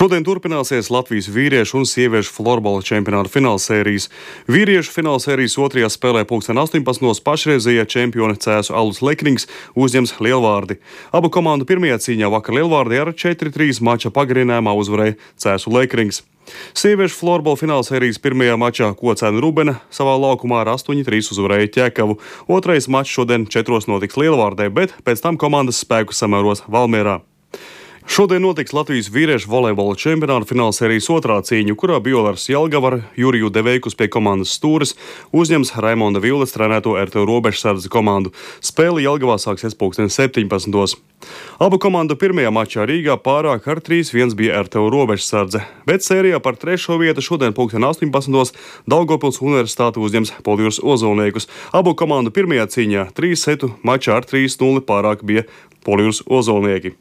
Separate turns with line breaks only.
Šodien turpināsies Latvijas vīriešu un sieviešu florbola čempionāta finālsērijas. Vīriešu finālsērijas otrajā spēlē 18. pašreizējie čempioni Cēsu Alus Lekrings uzņems Lielvārdi. Abu komandu pirmajā cīņā vakar Lielvārdi ar 4-3 mača pagarinājumā uzvarēja Cēsu Lekrings. Sieviešu florbola finālsērijas pirmajā mačā Kocēna Rubena savā laukumā ar 8-3 uzvarēja Ķekavu. Otrais mačs šodien 4 notiks Lielvārdē, bet pēc tam komandas spēku samēros Valmierā. Šodien notiks Latvijas vīriešu volejbola čempionāta finālsērijas otrā cīņa, kurā Biolars Jelgava ar Juriju Deveikus pie komandas stūres uzņems Raimonda Vildes trenēto RTU Robežsardze komandu. Spēle Jelgavā sāksies 17. Abu komandu pirmajā mačā Rīgā pārāk ar 3-1 bija RTU Robežsardze, bet sērijā par trešo vietu šodien 18. Daugavpils Universitāte uzņems Polijus Ozolniekus. Abu komandu pirmajā cīņā 3 setu mačā ar 3-0 pārāk bija Polijus Ozolnieki.